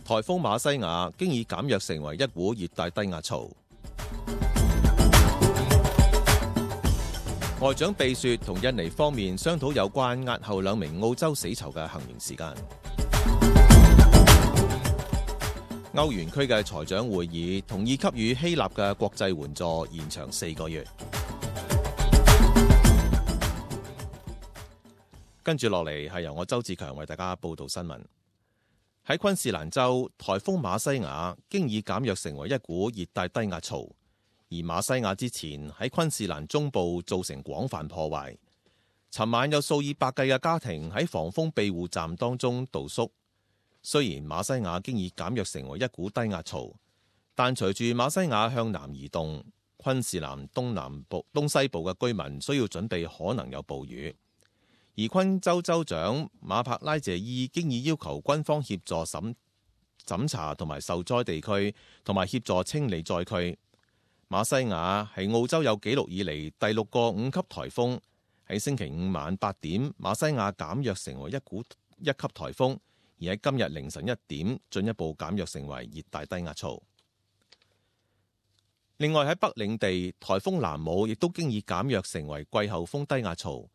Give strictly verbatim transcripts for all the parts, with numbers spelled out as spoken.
颱風馬西亞經已減弱成為一股熱帶低壓槽。外長貝雪同印尼方面商討有關押後兩名澳洲死囚嘅行刑時間。歐元區嘅財長會議同意給予希臘嘅國際援助延長四個月。跟住落嚟係由我周志強為大家報道新聞。喺昆士蘭州，颱風馬西亞經已減弱成為一股熱帶低壓槽，而馬西亞之前喺昆士蘭中部造成廣泛破壞。尋晚有數以百計嘅家庭喺防風庇護站當中度宿。雖然馬西亞經已減弱成為一股低壓槽，但隨住馬西亞向南移動，昆士蘭東南部、東西部嘅居民需要準備可能有暴雨。而昆州州長馬帕拉謝伊經已要求軍方協助審審查同埋受災地區，同埋協助清理災區。馬西亞係澳洲有紀錄以嚟第六個五級颱風，喺星期五晚八點，馬西亞減弱成為一股一級颱風，而喺今日凌晨一點進一步減弱成為熱帶低壓槽。另外喺北領地，颱風南姆亦都經已減弱成為季候風低壓槽。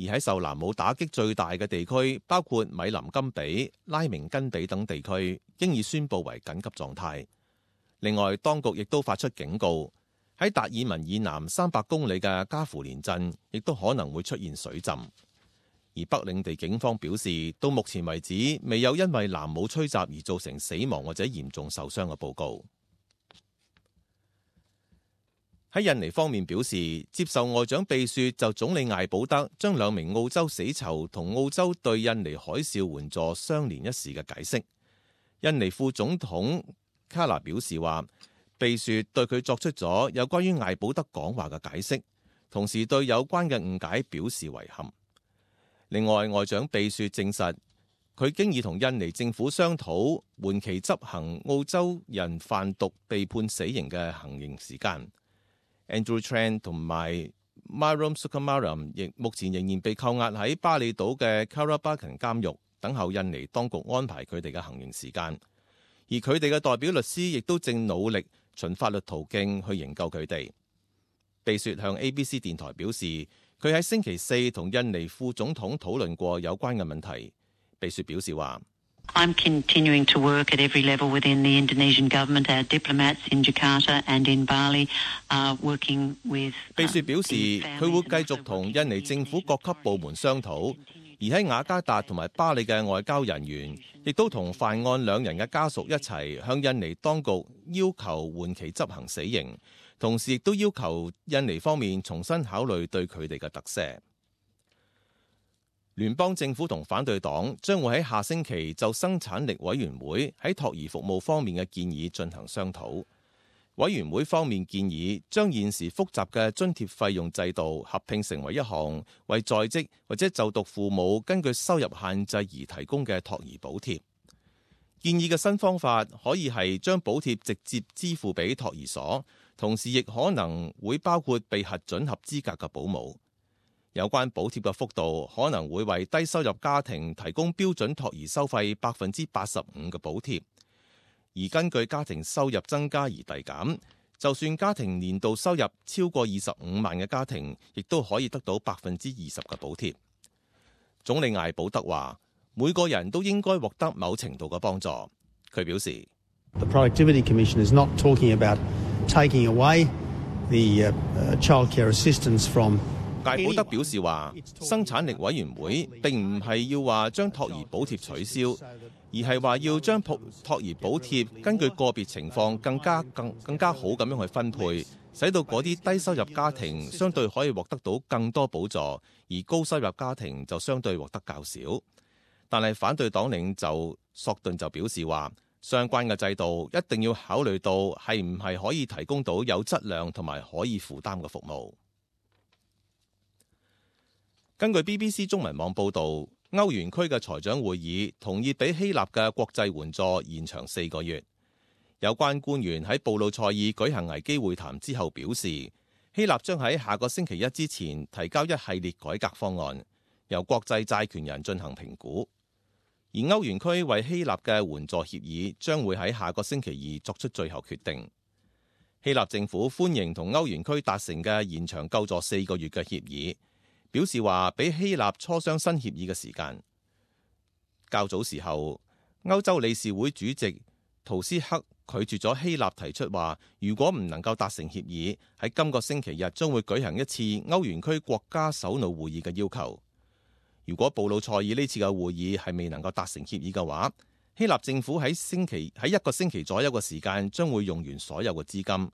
而喺受南姆打擊最大嘅地區，包括米林金比、拉明根比等地區，經已宣布為緊急狀態。另外，當局亦都發出警告，喺達爾文以南三百公里嘅加芙連鎮，亦都可能會出現水浸。而北領地警方表示，到目前為止，未有因為南姆吹襲而造成死亡或者嚴重受傷嘅報告。喺印尼方面表示，接受外長貝雪就總理艾保德將兩名澳洲死囚同澳洲對印尼海嘯援助相連一事嘅解釋。印尼副總統卡納表示話，貝雪對佢作出咗有關於艾保德講話嘅解釋，同時對有關嘅誤解表示遺憾。另外，外長貝雪證實，佢經已同印尼政府商討緩期執行澳洲人販毒被判死刑嘅行刑時間。Andrew Tran 同埋 Myram Sukumaran 亦目前仍然被扣押喺巴厘島嘅 Karabakan 監獄，等候印尼當局安排佢哋嘅行刑時間。而佢哋嘅代表律師亦都正努力循法律途徑去營救佢哋。貝雪向 A B C 電台表示，佢喺星期四同印尼副總統討論過有關嘅問題。貝雪表示話I'm continuing to work at every level within the Indonesian government. Our diplomats in Jakarta and in Bali are working with. 貝雪表示，佢會繼續同印尼政府各級部門商討，而喺雅加達同埋巴里嘅外交人員，亦都同犯案兩人嘅家屬一齊向印尼當局要求緩期執行死刑，同時亦都要求印尼方面重新考慮對佢哋嘅特赦。聯邦政府同反對黨將會喺下星期就生產力委員會喺托兒服務方面嘅建議進行商討。委員會方面建議將現時複雜嘅津貼費用制度合併成為一項為在職或者就讀父母根據收入限制而提供嘅托兒補貼。建議嘅新方法可以係將補貼直接支付俾托兒所，同時亦可能會包括被核准合資格嘅保姆。有關補貼嘅幅度可能會為低收入家庭提供標準托兒收費百分之八十五嘅補貼，而根據家庭收入增加而遞減。就算家庭年度收入超過二十五萬嘅家庭，亦都可以得到百分之二十嘅補貼。總理艾保德話：每個人都應該獲得某程度嘅幫助。佢表示 The Productivity Commission is not talking about taking away the childcare assistance from。艾保德表示話，生產力委員會並唔係要話將托兒補貼取消，而係話要將托兒補貼根據個別情況更加更更加好咁樣去分配，使到嗰啲低收入家庭相對可以獲得到更多補助，而高收入家庭就相對獲得較少。但係反對黨領袖索頓就表示話，相關嘅制度一定要考慮到係唔係可以提供到有質量同埋可以負擔嘅服務。根據 B B C 中文網報導，歐元區嘅財長會議同意俾希臘嘅國際援助延長四個月。有關官員喺布魯塞爾舉行危機會談之後表示，希臘將喺下個星期一之前提交一系列改革方案，由國際債權人進行評估。而歐元區為希臘嘅援助協議將會喺下個星期二作出最後決定。希臘政府歡迎同歐元區達成嘅延長救助四個月嘅協議，表示話比希臘磋商新協議嘅時間較早時候，歐洲理事會主席圖斯克拒絕咗希臘提出話，如果唔能夠達成協議，喺今個星期日將會舉行一次歐元區國家首腦會議嘅要求。如果布魯塞爾呢次嘅會議係未能夠達成協議嘅話，希臘政府喺星期喺一個星期左右嘅時間將會用完所有嘅資金。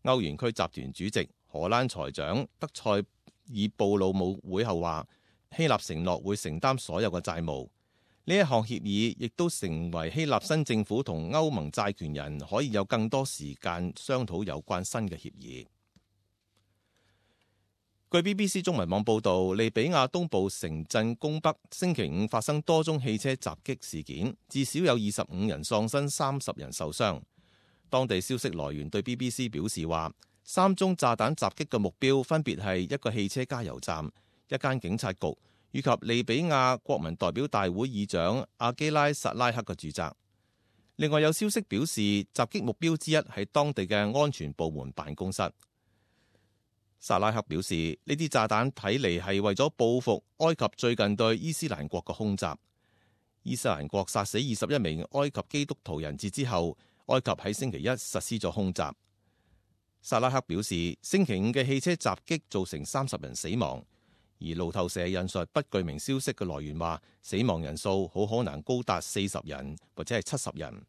歐元區集團主席荷蘭財長德塞爾布魯姆會後話，希臘承諾會承擔所有嘅債務。呢一項協議亦都成為希臘新政府同歐盟債權人可以有更多時間商討有關新嘅協議。據 B B C 中文網報導，利比亞東部城鎮宮北星期五發生多宗汽車襲擊事件，至少有二十五人喪生，三十人受傷。當地消息來源對 B B C 表示話，三宗炸彈襲擊嘅目標分別係一個汽車加油站、一間警察局以及利比亞國民代表大會議長阿基拉薩拉克嘅住宅。另外有消息表示，襲擊目標之一係當地嘅安全部門辦公室。薩拉克表示，呢啲炸彈睇嚟係為咗報復埃及最近對伊斯蘭國嘅空襲。伊斯蘭國殺死二十一名埃及基督徒人質之後，埃及喺星期一實施咗空襲。薩拉克表示，星期五嘅汽車襲擊造成三十人死亡，而路透社引述不具名消息嘅來源話，死亡人數好可能高達四十人或者係七十人。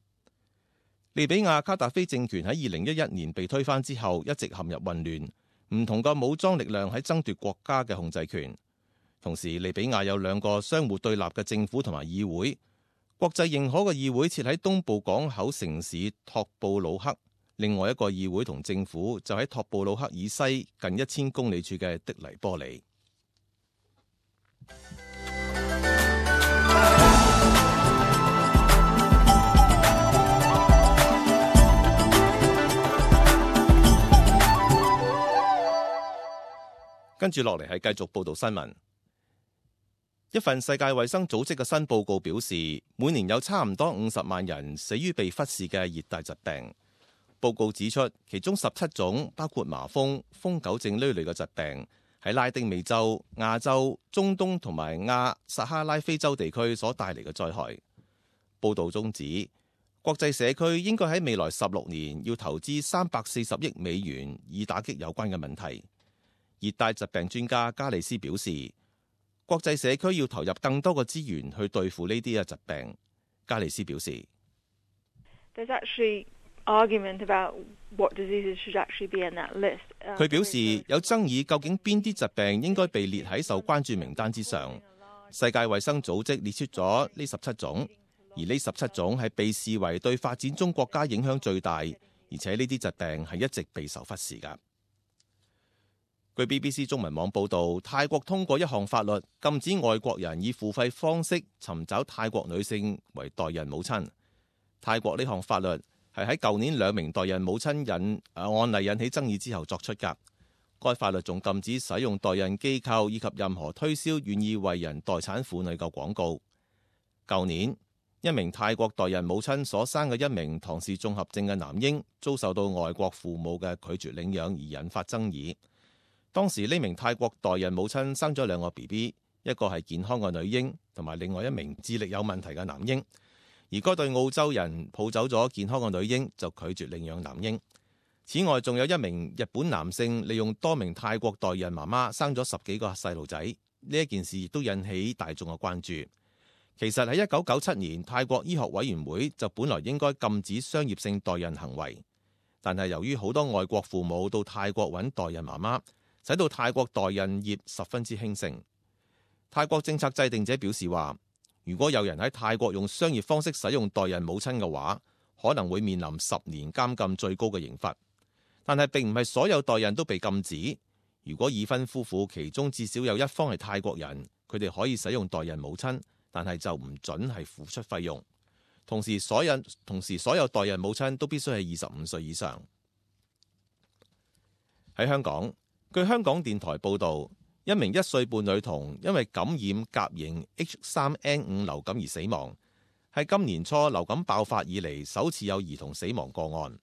利比亞卡達菲政權喺二零一一年被推翻之後，一直陷入混亂。唔同嘅武裝力量喺爭奪國家嘅控制權，同時利比亞有兩個相互對立嘅政府同埋議會。國際認可嘅議會設喺東部港口城市托布魯克，另外一個議會同政府就喺托布魯克以西近一千公里處嘅的黎波里。跟住落嚟係繼續報道新聞。一份世界衛生組織嘅新報告表示，每年有差唔多五十萬人死於被忽視嘅熱帶疾病。報告指出，其中十七種包括麻風、瘋狗症呢類嘅疾病，喺拉丁美洲、亞洲、中東同埋亞撒哈拉非洲地區所帶嚟嘅災害。報道中指，國際社區應該喺未來十六年要投資三百四十億美元，以打擊有關嘅問題。熱帶疾病專家加里斯表示，國際社區要投入更多嘅資源去對付呢啲嘅疾病。加里斯表示，佢表示有爭議究竟邊啲疾病應該被列喺受關注名單之上。世界衛生組織列出咗呢十七種，而呢十七種係被視為對發展中國家影響最大，而且呢啲疾病係一直備受忽視㗎。據 B B C 中文網報導，泰國通過一項法律，禁止外國人以付費方式尋找泰國女性為代孕母親。泰國呢項法律係喺舊年兩名代孕母親引案例引起爭議之後作出㗎。該法律仲禁止使用代孕機構以及任何推銷願意為人代產婦女嘅廣告。舊年，一名泰國代孕母親所生嘅一名唐氏綜合症嘅男嬰，遭受到外國父母嘅拒絕領養而引發爭議。當時呢名泰國代孕母親生咗兩個 B B， 一個係健康嘅女嬰，同埋另外一名智力有問題嘅男嬰。而該對澳洲人抱走咗健康嘅女嬰，就拒絕領養男嬰。此外，仲有一名日本男性利用多名泰國代孕媽媽生咗十幾個細路仔。呢一件事亦都引起大眾嘅關注。其實喺一九九七年，泰國醫學委員會就本來應該禁止商業性代孕行為，但係由於好多外國父母到泰國揾代孕媽媽，使到泰國代孕業十分之興盛。泰國政策制定者表示話，如果有人喺泰國用商業方式使用代孕母親嘅話，可能會面臨十年監禁最高嘅刑罰。但係並唔係所有代孕都被禁止。如果已婚夫婦其中至少有一方係泰國人，佢哋可以使用代孕母親，但係就唔準係付出費用。同時所有同時所有代孕母親都必須係二十五歲以上。喺香港，據香港電台報導，一名一歲半女童因為感染甲型 H 三 N 五流感而死亡，係今年初流感爆發以嚟首次有兒童死亡個案。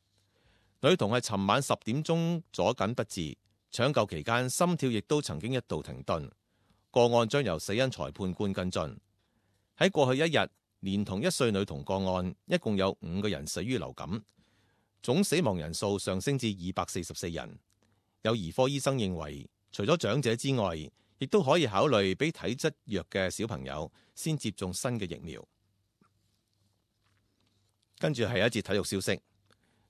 女童係尋晚十點鐘左緊不治，搶救期間心跳亦都曾經一度停頓。個案將由死因裁判官跟進。喺過去一日，連同一歲女童個案，一共有五個人死於流感，總死亡人數上升至二百四十四人。有兒科醫生認為，除咗長者之外，亦都可以考慮俾體質弱嘅小朋友先接種新嘅疫苗。跟住係一節體育消息，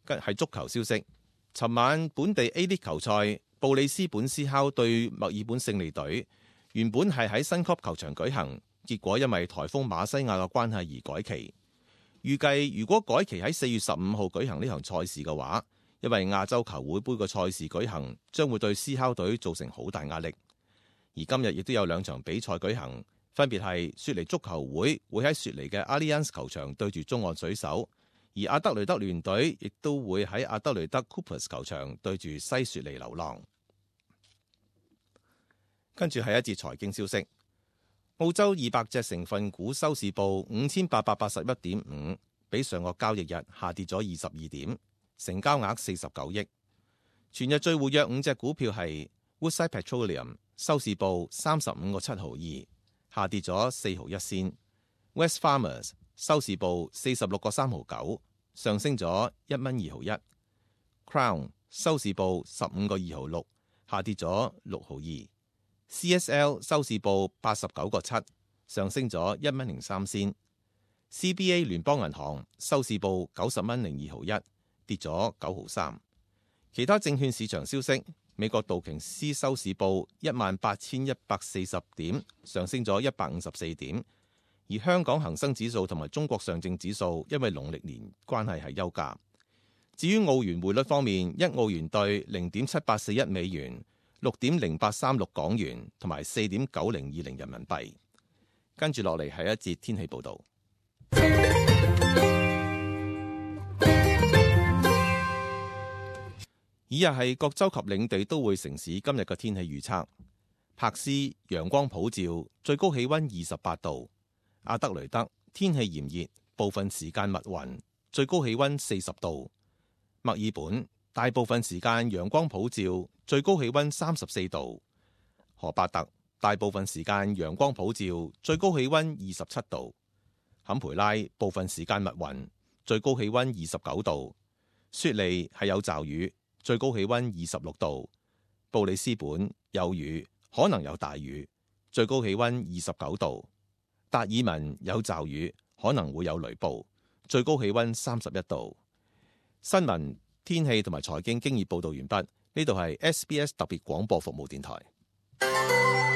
係足球消息。尋晚本地 A 聯球賽，布里斯本斯考對墨爾本勝利隊，原本係喺新級球場舉行，結果因為颱風馬西亞嘅關係而改期。預計如果改期喺四月十五號舉行呢場賽事嘅話，因為亞洲球會杯嘅賽事舉行，將會對斯考隊造成好大壓力。而今日亦都有兩場比賽舉行，分別係雪梨足球會會喺雪梨嘅 Allianz 球場對住中岸水手，而阿德雷德聯隊亦都會喺阿德雷德 Coopers 球場對住西雪梨流浪。跟住係一節財經消息，澳洲二百隻成分股收市報五千八百八十一點五，比上個交易日下跌咗二十二點。成交額四十九億。全日最活躍五隻股票係 Woodside Petroleum， 收市報三十五個七毫二，下跌咗四毫一仙。West Farmers 收市報四十六個三毫九，上升咗一蚊二毫一。Crown 收市報十五個二毫六，下跌咗六毫二。C S L 收市報八十九個七，上升咗一蚊零三仙。C B A 聯邦銀行收市報九十蚊零二毫一，跌咗九毫三。其他證券市場消息，美國道瓊斯收市報一萬八千一百四十點，上升咗一百五十四點。而香港恒生指數同埋中國上證指數因為農曆年關係係休假。至於澳元匯率方面，一澳元兌零點七八四一美元，六點零八三六港元，同埋四點九零二零人民幣。跟住落嚟係一節天氣報導。以日係各州及領地都會城市今日嘅天氣預測：柏斯陽光普照，最高氣溫二十八度；阿德雷德天氣炎熱，部分時間密雲，最高氣溫四十度；墨爾本大部分時間陽光普照，最高氣溫三十四度；荷伯特大部分時間陽光普照，最高氣溫二十七度；坎培拉部分時間密雲，最高氣溫二十九度；雪梨係有驟雨，最高氣溫二十六度；布里斯本有雨，可能有大雨，最高氣溫二十九度；達爾文有驟雨，可能會有雷暴，最高氣溫三十一度。新聞、天氣同埋財經經已報道完畢。呢度係 S B S 特別廣播服務電台。